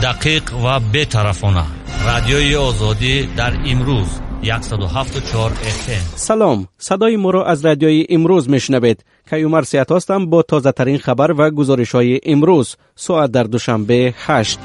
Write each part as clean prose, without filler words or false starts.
Дақиқ ва бетарафона, Радиои Озодӣ дар имрӯз, 107,4 FM. Салом, садои моро аз Радиои Имрӯз мешунавед. Каюмар Сиҳат ҳастам бо тозатарин хабар ва гузоришҳои имрӯз. Соат дар Душанбе 8.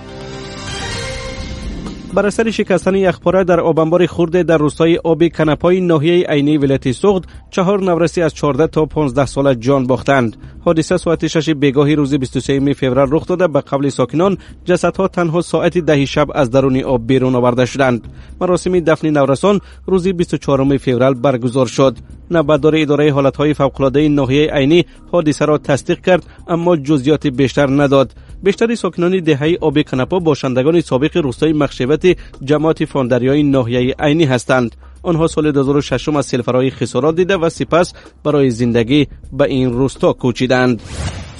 Бар асари шикастани яхпора дар обанбори хурде дар рӯстои Оби Канапои ноҳияи Айнии вилояти Суғд чаҳор навраси аз 14 то 15 сола ҷон бохтанд. Ҳодиса соати 6 бегоҳи рӯзи 23 феврал рух дода. Ба қавли сокинон, ҷасадҳо танҳо соати 10 шаб аз даруни об берун оварда шуданд. Маросими дафни наврасон рӯзи 24 феврал баргузор шуд. Навбатдори идораи ҳолатҳои фавқулодаи ноҳияи Айнӣ ҳодисаро тасдиқ кард, аммо ҷузъиёти бештар надод. Бештари сокинони деҳаи Оби Канапо бошандагони собиқи рӯстои Махшевати ҷамоати Фондарёи ноҳияи Айнӣ ҳастанд. Онҳо соли 2006 аз селфарои хисорот дида ва сипас барои зиндагӣ ба ин рӯсто кӯчиданд.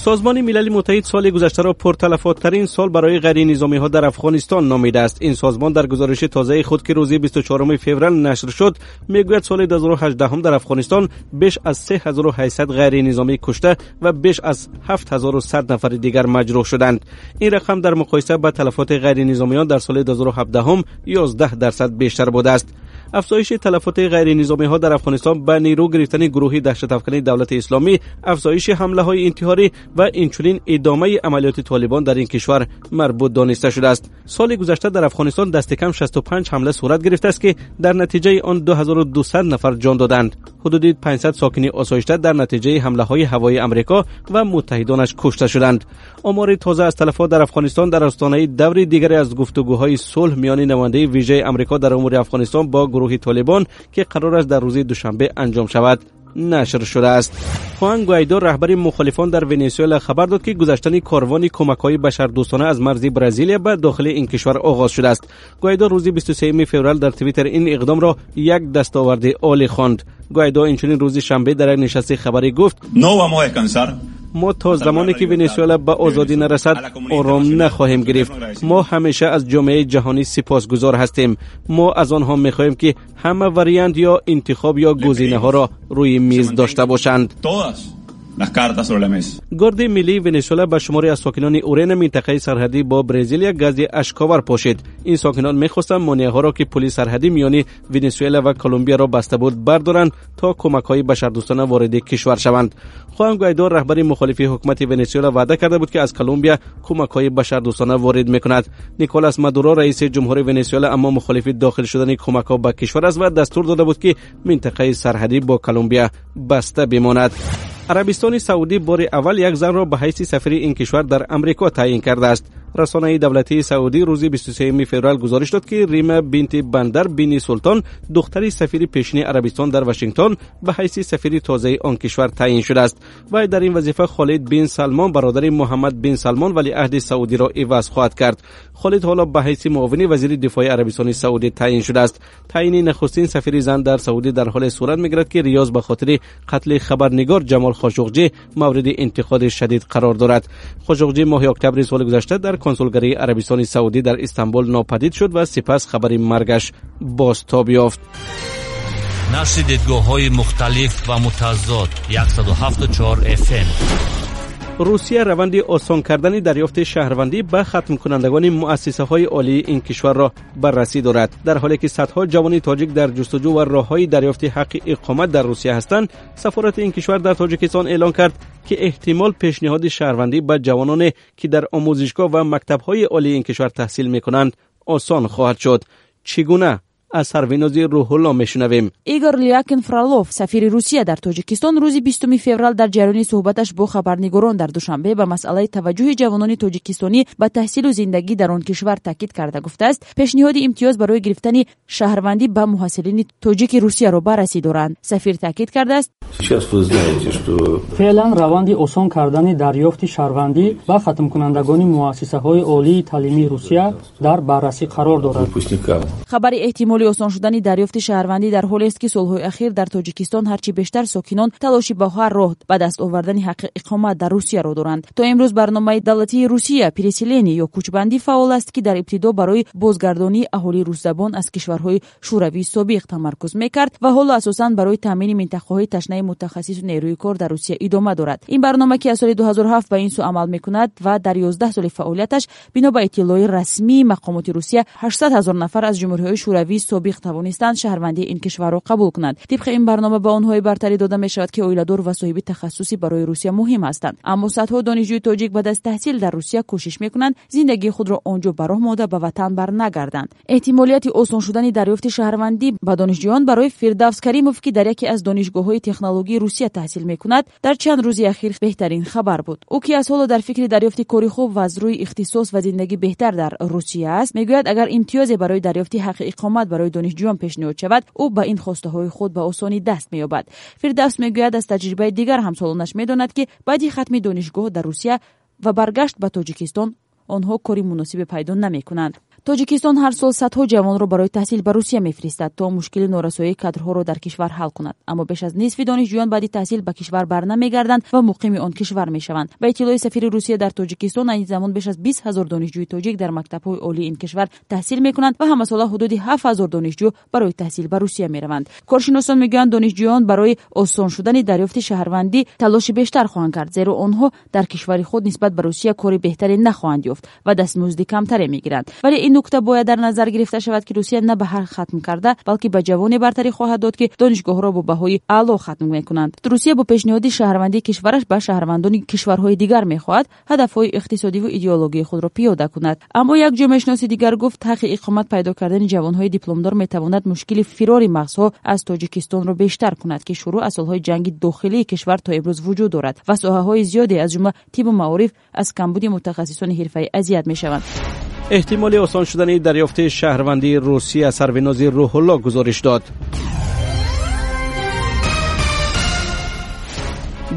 Созмони Милали Муттаҳид соли гузаштаро пурталафоттарин сол барои ғайринизомиҳо дар Афғонистон номидааст. Ин созмон дар гузориши тозаи худ, ки рӯзи 24 феврал нашр шуд, мегӯяд, соли 2018 дар Афғонистон беш аз 3800 ғайринизомӣ кушта ва беш аз 7100 нафари дигар маҷрӯҳ шуданд. Ин рақам дар муқоиса ба талафоти ғайринизомиён дар соли 2017 11% бештар будааст. Афзоиши талафоти ғайринизомиҳо дар Афғонистон ба нерӯ гирифтани гурӯҳи даҳшатафкани Давлати Исломӣ, афзоиши ҳамлаҳои интиҳорӣ ва инчунин идомаи амалиёти Толибон дар ин кишвар марбут дониста шудааст. Соли гузашта дар Афғонистон дасти кам 65 ҳамла сурат гирифтааст, ки дар натиҷаи он 2200 нафар ҷон доданд. Ҳудуди 500 сокини осоишта дар натиҷаи ҳамлаҳои ҳавоии Амрико ва муттаҳидонаш кушта шуданд. Омори тоза аз талафот дар Афғонистон дар остонаи даври дигаре аз гуфтугӯҳои сулҳ миёни намояндаи вижаи Амрико дар умури Афғонистон бо гурӯҳи Толибон, ки қарор аст дар рӯзи душанбе анҷом шавад, нашр шудааст. Хуан Гуайдо, раҳбари мухолифон дар Венесуэла, хабар дод, ки гузаштани корвони кӯмакҳои башардӯстона аз марзи Бразилия ба дохили ин кишвар оғоз шудааст. Гуайдо рӯзи 23 феврал дар Твиттер ин иқдомро як дастоварди олӣ хонд. Гуайдо инчунин рӯзи шанбе дар як нишасти хабарӣ гуфт: «Мо то замоне ки Венесуэла ба озодӣ нарасад, ором нахоҳем гирифт. Мо ҳамеша аз ҷомеаи ҷаҳонӣ сипосгузор ҳастем. Мо аз онҳо мехоҳем, ки ҳама вариант ё интихоб ё гузинаҳоро рӯи миз дошта бошанд». Гарди миллии Венесуэла ба шуморе аз сокинони Урена, минтақаи сарҳадӣ бо Бразилия, гази ашковар пошид. Ин сокинон мехостанд монеаҳоро, ки пули сарҳадӣ миёни Венесуэла ва Колумбияро баста буд, бардоранд, то кӯмакҳои башардӯстона вориди кишвар шаванд. Хуан Гуайдо, раҳбари мухолифи ҳукумати Венесуэла, ваъда карда буд, ки аз Колумбия кӯмакҳои башардӯстона ворид мекунад. Николас Мадуро, раиси ҷумҳури Венесуэла, аммо мухолифи дохил шудани кӯмакҳо ба кишвар аст ва дастур дода буд, ки минтақаи сарҳадӣ бо Колумбия баста бимонад. Арабистони Саудӣ бори аввал як занро ба ҳайси сафири ин кишвар дар Амрико таъйин кардааст. Расонаи давлатии Саудӣ рӯзи 23 феврал гузориш дод, ки Рима бинти Бандар бини Султон, духтари сафири пешини Арабистон дар Вашингтон, ба ҳайси сафири тозаи он кишвар таъйин шудааст. Вай дар ин вазифа Холид бин Салмон, бародари Муҳаммад бин Салмон, валиаҳди Саудиро иваз хоҳад кард. Холид ҳоло ба ҳайси муовини вазири дифои Арабистони Саудӣ таъйин шудааст. Таъйини нахустин сафири зан дар Саудӣ дар ҳоле сурат мегирад, ки Риёз ба хотири қатли хабарнигор Ҷамол Хошуқҷӣ мавриди интиқоди шадид қарор дорад. Хошуқҷӣ моҳи октябри соли гузашта дар консулгарии Арабистони Саудӣ дар Истанбул нопадид шуд ва сипас хабари маргаш бозтоб ёфт. Нашри дидгоҳҳои мухталиф ва мутазод, 107,4 FM. Русия раванди осон кардани дарёфти шаҳрвандӣ ба хатмкунандагони муассисаҳои олии ин кишварро баррасӣ дорад. Дар ҳоле ки садҳо ҷавони тоҷик дар ҷустуҷӯ ва роҳҳои дарёфти ҳаққи иқомат дар Русия ҳастанд, сафорати ин кишвар дар Тоҷикистон эълон кард, ки эҳтимол пешниҳоди шаҳрвандӣ ба ҷавононе, ки дар омӯзишгоҳ ва мактабҳои олии ин кишвар таҳсил мекунанд, осон хоҳад шуд. Чӣ гуна, аз Сарвинози Рӯҳулло мешунавем. Игор Лякин Фролов, сафири Русия дар Тоҷикистон, рӯзи 20 феврал дар ҷараёни суҳбаташ бо хабарнигорон дар Душанбе ба масъалаи таваҷҷӯҳи ҷавонони тоҷикистонӣ ба таҳсилу зиндагӣ дар он кишвар таъкид карда гуфтааст, пешниҳоди имтиёз барои гирифтани шаҳрвандӣ ба муҳассилини тоҷики Русияро баррасӣ доранд. Сафир таъкид кардааст: Феълан раванди осон кардани дарёфти шаҳрвандӣ ба хатмкунандагони муассисаҳои олии таълимии Русия дар баррасӣ қарор дорад. Хабари эҳтимоли Эҳтимоли осон шудани дарёфти шаҳрвандӣ дар ҳолест, ки солҳои ахир дар Тоҷикистон ҳарчи бештар сокинон талоши ба ҳар роҳ ба даст овардани ҳаққи иқомат дар Русияро доранд. То имрӯз барномаи давлатии Русия переселение ё кӯчбандӣ фаъол аст, ки дар ибтидо барои бозгардонии аҳолии русзабон аз кишварҳои шӯравии собиқ тамаркуз мекард ва ҳоло асосан барои таъмини минтақаҳои ташнаи мутахассису нерӯи кор дар Русия идома дорад. Ин барнома, ки аз соли 2007 ба ин сӯ амал мекунад ва дар 11 соли фаъолияташ, бино ба иттилои расмии мақомоти Русия, 800 ҳазор нафар аз ҷумҳуриҳои шӯравии собиқ тавонистанд шаҳрвандии ин кишварро қабул кунанд. Тибқи ин барнома ба онҳое бартарӣ дода мешавад, ки оиладор ва соҳиби тахассуси барои Русия муҳим ҳастанд. Аммо садҳо донишҷӯи тоҷик баъд аз таҳсил дар Русия кӯшиш мекунанд зиндагии худро он ҷо ба роҳ монда ба ватан барнагарданд. Эҳтимолияти осон шудани дарёфти шаҳрвандӣ ба донишҷӯён барои Фирдавс Каримов, ки дар яке аз донишгоҳҳои технологии Русия таҳсил мекунад, дар чанд рӯзи ахир беҳтарин хабар буд. Ӯ, ки аз ҳоло дар фикри дарёфти кори хуб ва аз рӯи ихтисос ва зиндагӣ беҳтар дар Русия аст, мегӯяд, агар имтиёзе барои дарёфти ҳаққи иқомат барои донишҷӯён пешниҳод шавад, ӯ ба ин хостаҳои худ ба осонӣ даст меёбад. Фирдавс мегӯяд, аз таҷрибаи дигар ҳамсолонаш медонад, ки баъди хатми донишгоҳ дар Русия ва баргашт ба Тоҷикистон онҳо кори муносибе пайдо намекунанд. Тоҷикистон ҳар сол садҳо ҷавонро барои таҳсил ба Русия мефиристад, то мушкили норасоии кадрҳоро дар кишвар ҳал кунад. Аммо беш аз нисфи донишҷӯён баъди таҳсил ба кишвар барнамегарданд ва муқими он кишвар мешаванд. Ба иттилои сафири Русия дар Тоҷикистон, айни замон беш аз 20 ҳазор донишҷӯи тоҷик дар мактабҳои олии ин кишвар таҳсил мекунанд ва ҳамасола ҳудуди 7 ҳазор донишҷӯ барои таҳсил ба Русия мераванд. Коршиносон мегӯянд, донишҷӯён барои осон шудани дарёфти шаҳрвандӣ талоши бештар хоҳанд кард, зеро онҳо дар кишвари худ нисбат ба Русия кори беҳтаре нахоҳанд ёфт ва дастмузди камтаре мегиранд. Вале ин нукта бояд дар назар гирифта шавад, ки Русия на ба ҳар хатм карда, балки ба ҷавоне бартарӣ хоҳад дод, ки донишгоҳро бо баҳои аъло хатм мекунанд. Русия бо пешниҳоди шаҳрвандии кишвараш ба шаҳрвандони кишварҳои дигар мехоҳад ҳадафҳои иқтисодиву идеологии худро пиёда кунад. Аммо як ҷомеашиноси дигар гуфт, ҳаққи иқомат пайдо кардани ҷавонҳои дипломдор метавонад мушкили фирори мағзҳо аз Тоҷикистонро бештар кунад, ки шурӯъ аз солҳои ҷанги дохилии кишвар то имрӯз вуҷуд дорад ва соҳаҳои зиёде, аз ҷумла тибу маориф, аз камбуди мутахассисони ҳирфаӣ азият мешаванд. Эҳтимоли осон шудани дарёфти шаҳрвандии Русия Сарвинози Рӯҳулло гузориш дод.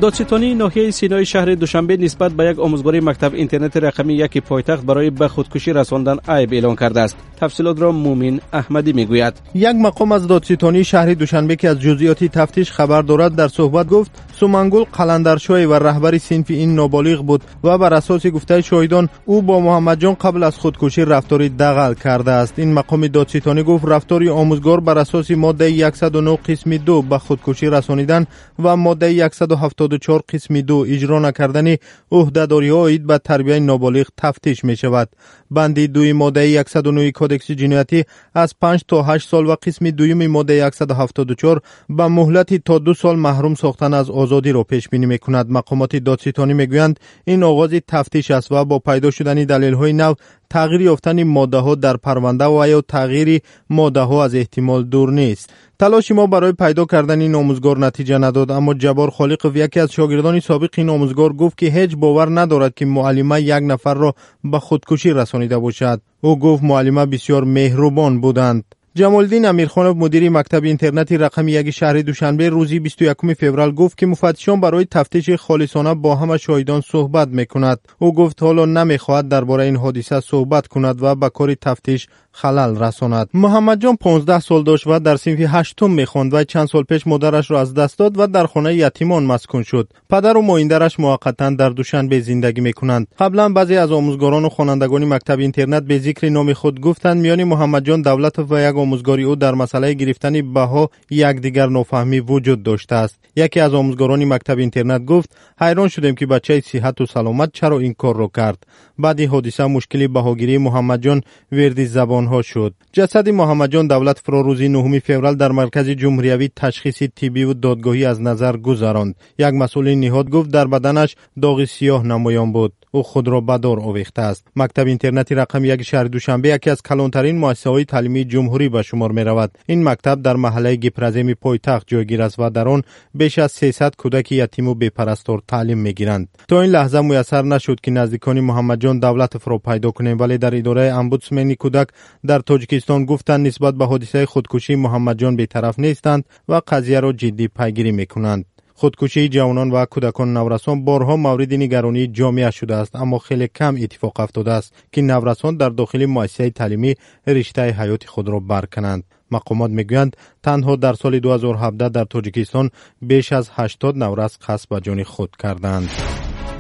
Додситонии ноҳияи Синои шаҳри Душанбе нисбат ба як омӯзгори мактаб интернати рақами яки пойтахт барои ба худкушӣ расондан айб эълон кардааст. Тафсилотро Мумин Аҳмадӣ мегӯяд. Як мақом аз додситонии шаҳри Душанбе, ки аз ҷузъиёти тафтиш хабар дорад, дар суҳбат гуфт, Сумангул Қаландаршоева раҳбари синфи ин ноболиғ буд ва бар асоси гуфтаи шоҳидон ӯ бо Муҳаммадҷон қабл аз худкушӣ рафтори дағал кардааст. Ин мақоми додситонӣ гуфт, рафтори омӯзгор бар асоси моддаи 109 қисми 2 ба худкушӣ расонидан ва моддаи 174 қисми 2 иҷро накардани ӯҳдадориҳо оид ба тарбияи ноболиғ тафтиш мешавад. Банди дуи моддаи 109 кодекси ҷиноятӣ аз 5 то 8 сол ва қисми дуюми моддаи 174 ба муҳлати то 2 сол маҳрум сохтан аз озодиро пешбинӣ мекунад. Мақомоти додситонӣ мегӯянд, ин оғози тафтиш аст ва бо пайдо шудани далелҳои нав тағйир ёфтани моддаҳо дар парванда ва ё тағйири моддаҳо аз эҳтимол дур нест. Талоши мо барои пайдо кардани ин омӯзгор натиҷа надод, аммо Ҷаббор Холиқов, яке аз шогирдони собиқи ин омӯзгор, гуфт, ки ҳеҷ бовар надорад, ки муаллима як нафарро ба худкушӣ расонида бошад. Ӯ гуфт, муаллима бисёр меҳрубон буданд. Ҷамолиддин Амирхонов, мудири мактаби интернати рақами яки шаҳри Душанбе, рӯзи 21 феврал гуфт, ки муфаттишон барои тафтиши холисона бо ҳама шоҳидон суҳбат мекунад. Ӯ гуфт, ҳоло намехоҳад дар бораи ин ҳодиса суҳбат кунад ва ба кори тафтиш халал расонад. Муҳаммадҷон 15 сол дошт ва дар синфи ҳаштум мехонд ва чанд сол пеш модарашро аз даст дод ва дар хонаи ятимон маскун шуд. Падару моиндараш муваққатан дар Душанбе зиндагӣ мекунанд. Қаблан баъзе аз омӯзгорону хонандагони мактаби интернат бе зикри номи худ гуфтанд, миёни Муҳаммадҷон Давлатов ва як омӯзгори ӯ дар масъалаи гирифтани баҳо якдигар нофаҳмӣ вуҷуд доштааст. Яке аз омӯзгорони мактаби интернат гуфт, ҳайрон шудем, ки бачаи сиҳату саломат чаро ин корро кард. Баъди ҳодиса мушкили баҳогирии Муҳаммадҷон верди забонҳо шуд. Ҷасади Муҳаммадҷон Давлатовро рӯзи 9 феврал дар маркази ҷумҳуриявии ташхиси тиббиву додгоҳӣ аз назар гузаронд. Як масъули ниҳод гуфт, дар баданаш доғи сиёҳ намоён буд. Ӯ худро ба дор овехтааст. Мактаби интернати рақами яки шаҳри Душанбе яке аз калонтарин муассисаҳои таълимии ҷумҳурӣ ба шумор меравад. Ин мактаб дар маҳаллаи Гипраземи пойтахт ҷойгир аст ва дар он беш аз 300 кӯдаки ятиму бепарастор таълим мегиранд. То ин лаҳза муяссар нашуд, ки наздикони Муҳаммадҷон Давлатовро пайдо кунем, вале дар идораи омбудсмени кӯдак дар Тоҷикистон гуфтанд, нисбат ба ҳодисаи худкушии Муҳаммадҷон бетараф нестанд ва қазияро ҷиддӣ пайгирӣ мекунанд. Худкушии ҷавонон ва кӯдакону наврасон борҳо мавриди нигаронии ҷомеа шудааст, аммо хеле кам иттифоқ афтодааст, ки наврасон дар дохили муассисаи таълимӣ риштаи ҳаёти худро баркананд. Мақомот мегӯянд, танҳо дар соли 2017 дар Тоҷикистон беш аз 80 наврас қасд ба ҷони худ карданд.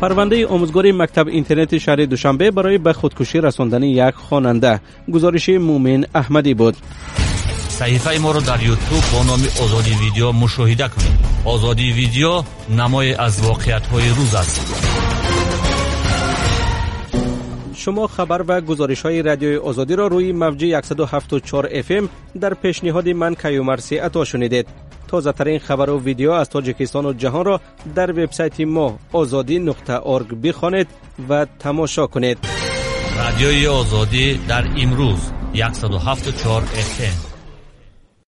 Парвандаи омӯзгори мактаб-интернати шаҳри Душанбе барои ба худкушӣ расондани як хонанда. Гузориши Муъмин Аҳмадӣ буд. Саҳифаи моро дар Ютуб бо номи Озодӣ Видео мушоҳида кунед. Озодӣ Видео намое аз воқеиятҳои рӯз аст. Шумо хабар ва гузоришҳои Радиои Озодиро рӯи мавҷи 107.4 FM дар пешниҳоди ман Каюмарси Ато шунидед. Тозатарин хабару видео аз Тоҷикистону ҷаҳонро дар вебсайти мо ozodi.org бихонед ва тамошо кунед. Радиои Озодӣ дар имрӯз 107.4 FM.